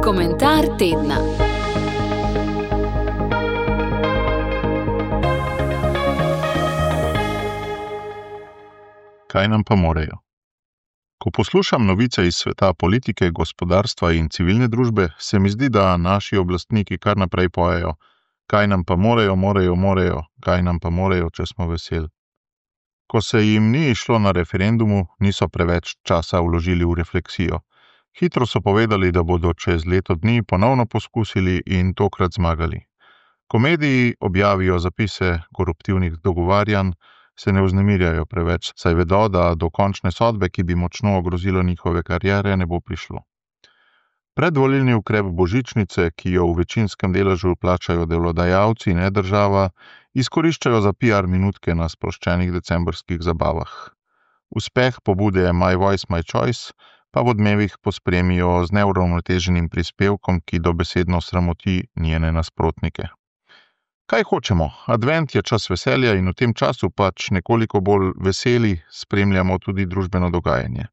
Komentar tedna. Kaj nam pa morejo? Ko poslušam novice iz sveta politike, gospodarstva in civilne družbe, se mi zdi, da naši oblastniki kar naprej pojejo: kaj nam pa morejo, kaj nam pa morejo, če smo veseli. Ko se jim ni išlo na referendumu, niso preveč časa vložili v refleksijo. Hitro so povedali, da bodo čez leto dni ponovno poskusili in tokrat zmagali. Ko mediji objavijo zapise koruptivnih dogovarjanj, se ne vznemirjajo preveč, saj vedo, da do končne sodbe, ki bi močno ogrozila njihove kariere, ne bo prišlo. Predvolilni ukrep božičnice, ki jo v večinskem deležu plačajo delodajalci, ne država, izkoriščajo za PR minutke na sproščenih decembrskih zabavah. Uspeh pobude My Voice, My Choice pa v odmevih pospremijo z neuravnoteženim prispevkom, ki dobesedno sramoti njene nasprotnike. Kaj hočemo? Advent je čas veselja in v tem času pač nekoliko bolj veseli spremljamo tudi družbeno dogajanje.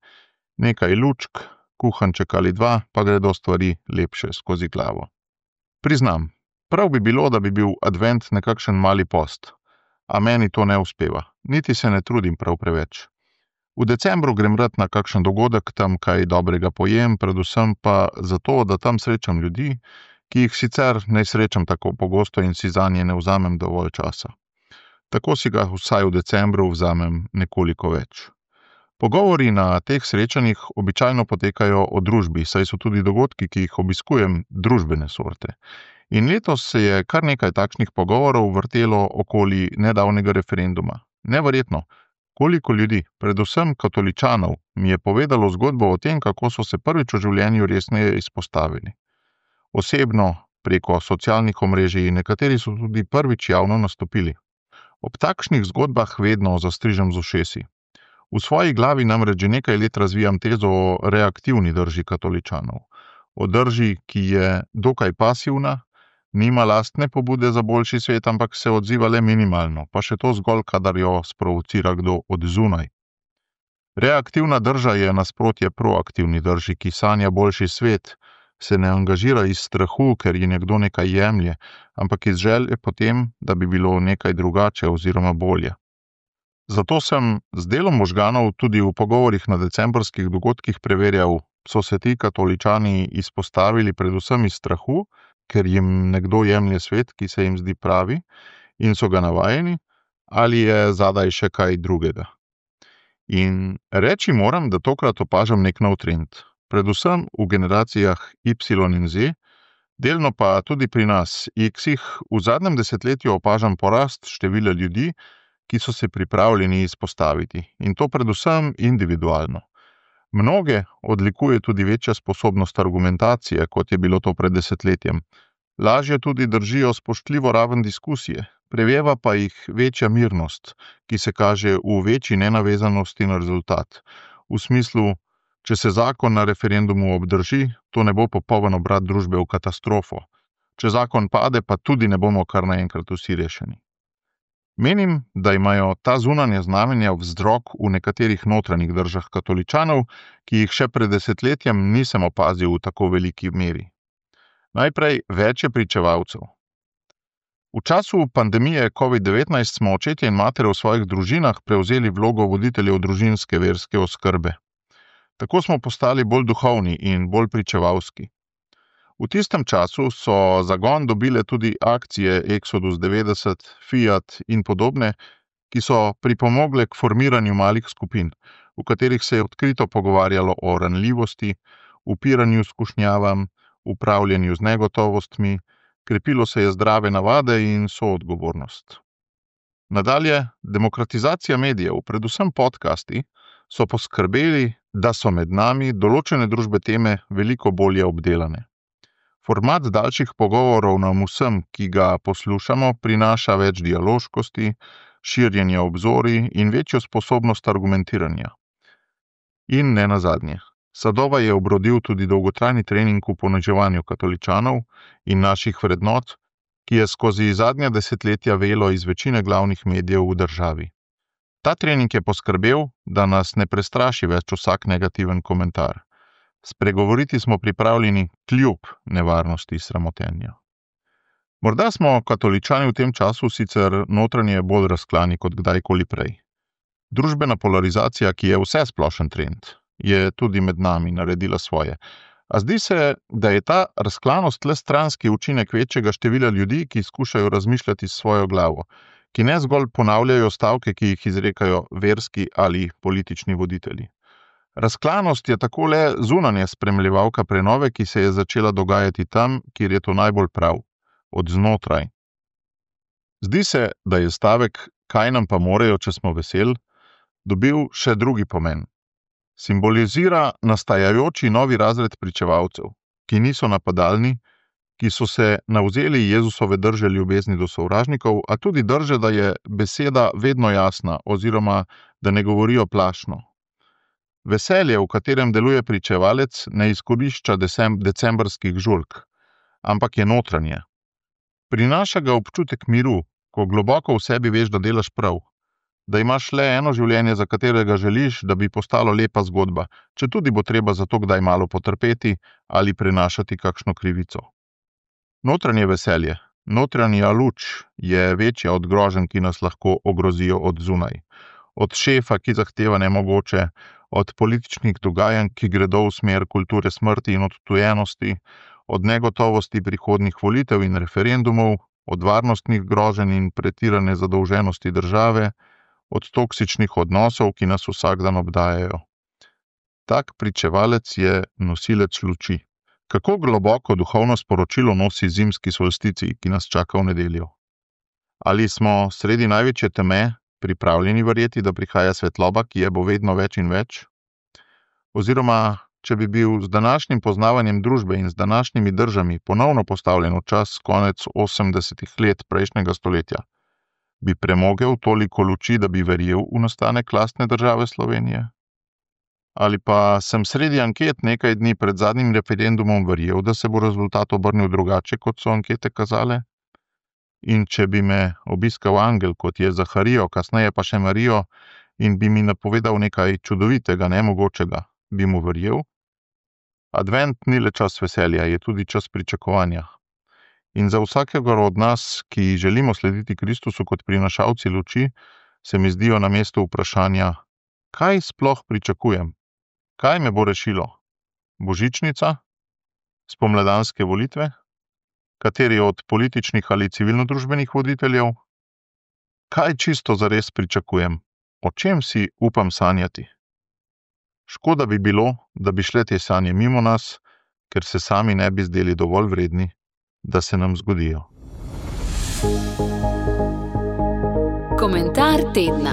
Nekaj lučk, kuhanček ali dva, pa gredo stvari lepše skozi glavo. Priznam, prav bi bilo, da bi bil advent nekakšen mali post, a meni to ne uspeva, niti se ne trudim prav preveč. V decembru grem rad na kakšen dogodek, tam kaj dobrega pojem, predvsem pa zato, da tam srečam ljudi, ki jih sicer ne srečam tako pogosto in si zanje ne vzamem dovolj časa. Tako si ga vsaj v decembru vzamem nekoliko več. Pogovori na teh srečanjih običajno potekajo o družbi, saj so tudi dogodki, ki jih obiskujem, družbene sorte. In letos se je kar nekaj takšnih pogovorov vrtelo okoli nedavnega referenduma. Neverjetno, koliko ljudi, predvsem katoličanov, mi je povedalo zgodbo o tem, kako so se prvič v življenju resneje izpostavili. Osebno, preko socialnih omrežij, nekateri so tudi prvič javno nastopili. Ob takšnih zgodbah vedno zastrižem z ušesi. V svoji glavi namreč že nekaj let razvijam tezo o reaktivni drži katoličanov. O drži, ki je dokaj pasivna, nima lastne pobude za boljši svet, ampak se odziva le minimalno, pa še to zgolj, kadar jo sprovocira kdo od zunaj. Reaktivna drža je nasprotje proaktivni drži, ki sanja boljši svet, se ne angažira iz strahu, ker ji nekdo nekaj jemlje, ampak iz želje potem, da bi bilo nekaj drugače oziroma bolje. Zato sem z delom možganov tudi v pogovorih na decembrskih dogodkih preverjal, so se ti katoličani izpostavili predvsem iz strahu, ker jim nekdo jemlje svet, ki se jim zdi pravi, in so ga navajeni, ali je zadaj še kaj drugega. In reči moram, da tokrat opažam nek nov trend. Predvsem v generacijah Y in Z, delno pa tudi pri nas, X-ih, v zadnjem desetletju opažam porast števila ljudi, ki so se pripravljeni izpostaviti, in to predvsem individualno. Mnoge odlikuje tudi večja sposobnost argumentacije, kot je bilo to pred desetletjem. Lažje tudi držijo spoštljivo raven diskusije, preveva pa jih večja mirnost, ki se kaže v večji nenavezanosti na rezultat. V smislu, če se zakon na referendumu obdrži, to ne bo popoln obrat družbe v katastrofo. Če zakon pade, pa tudi ne bomo kar naenkrat vsi rešeni. Menim, da imajo ta zunanja znamenja vzrok v nekaterih notranjih držah katoličanov, ki jih še pred desetletjem nisem opazil v tako veliki meri. Najprej več je pričevalcev. V času pandemije COVID-19 smo očetje in matere v svojih družinah prevzeli vlogo voditeljev družinske verske oskrbe. Tako smo postali bolj duhovni in bolj pričevalski. V tistem času so zagon dobile tudi akcije Exodus 90, Fiat in podobne, ki so pripomogle k formiranju malih skupin, v katerih se je odkrito pogovarjalo o ranljivosti, upiranju skušnjavam, upravljanju z negotovostmi, krepilo se je zdrave navade in soodgovornost. Nadalje, demokratizacija medijev, predvsem podcasti, so poskrbeli, da so med nami določene družbe teme veliko bolje obdelane. Format daljših pogovorov nam vsem, ki ga poslušamo, prinaša več dialoškosti, širjenja obzorij in večjo sposobnost argumentiranja. In ne nazadnje, Sadova je obrodil tudi dolgotrajni trening v poniževanju katoličanov in naših vrednot, ki je skozi zadnja desetletja velo iz večine glavnih medijev v državi. Ta trening je poskrbel, da nas ne prestraši več vsak negativen komentar. Spregovoriti smo pripravljeni kljub nevarnosti sramotenja. Morda smo katoličani v tem času sicer notranje bolj razklani kot kdajkoli prej. Družbena polarizacija, ki je vsesplošen trend, je tudi med nami naredila svoje. A zdi se, da je ta razklanost le stranski učinek večjega števila ljudi, ki skušajo razmišljati s svojo glavo, ki ne zgolj ponavljajo stavke, ki jih izrekajo verski ali politični voditelji. Razklanost je tako le zunanja spremljevalka prenove, ki se je začela dogajati tam, kjer je to najbolj prav, od znotraj. Zdi se, da je stavek "kaj nam pa morejo, če smo vesel" dobil še drugi pomen. Simbolizira nastajajoči novi razred pričevalcev, ki niso napadalni, ki so se navzeli Jezusove drže ljubezni do sovražnikov, a tudi drže, da je beseda vedno jasna oziroma da ne govorijo plašno. Veselje, v katerem deluje pričevalec, ne izkorišča decembrskih žurk, ampak je notranje. Prinaša ga občutek miru, ko globoko v sebi veš, da delaš prav, da imaš le eno življenje, za katerega želiš, da bi postalo lepa zgodba, četudi bo treba za to kdaj malo potrpeti ali prenašati kakšno krivico. Notranje veselje, notranja luč je večja od groženj, ki nas lahko ogrozijo od zunaj. Od šefa, ki zahteva nemogoče, od političnih dogajanj, ki gredo v smer kulture smrti in odtujenosti, od negotovosti prihodnjih volitev in referendumov, od varnostnih groženj in pretirane zadolženosti države, od toksičnih odnosov, ki nas vsak dan obdajajo. Tak pričevalec je nosilec luči. Kako globoko duhovno sporočilo nosi zimski solsticij, ki nas čaka v nedeljo? Ali smo sredi največje teme pripravljeni verjeti, da prihaja svetloba, ki je bo vedno več in več? Oziroma, če bi bil z današnjim poznavanjem družbe in z današnjimi držami ponovno postavljen v čas konec 80. let prejšnjega stoletja, bi premogel toliko luči, da bi verjel v nastanek lastne države Slovenije? Ali pa sem sredi anket nekaj dni pred zadnjim referendumom verjel, da se bo rezultat obrnil drugače, kot so ankete kazale? In če bi me obiskal angel, kot je Zaharijo, kasneje pa še Marijo, in bi mi napovedal nekaj čudovitega, nemogočega, bi mu verjel? Advent ni le čas veselja, je tudi čas pričakovanja. In za vsakega od nas, ki želimo slediti Kristusu kot prinašalci luči, se mi zdijo na mestu vprašanja, kaj sploh pričakujem? Kaj me bo rešilo? Božičnica? Spomladanske volitve? Kateri od političnih ali civilnodružbenih voditeljev? Kaj čisto zares pričakujem? O čem si upam sanjati? Škoda bi bilo, da bi šle te sanje mimo nas, ker se sami ne bi zdeli dovolj vredni, da se nam zgodijo. Komentar tedna.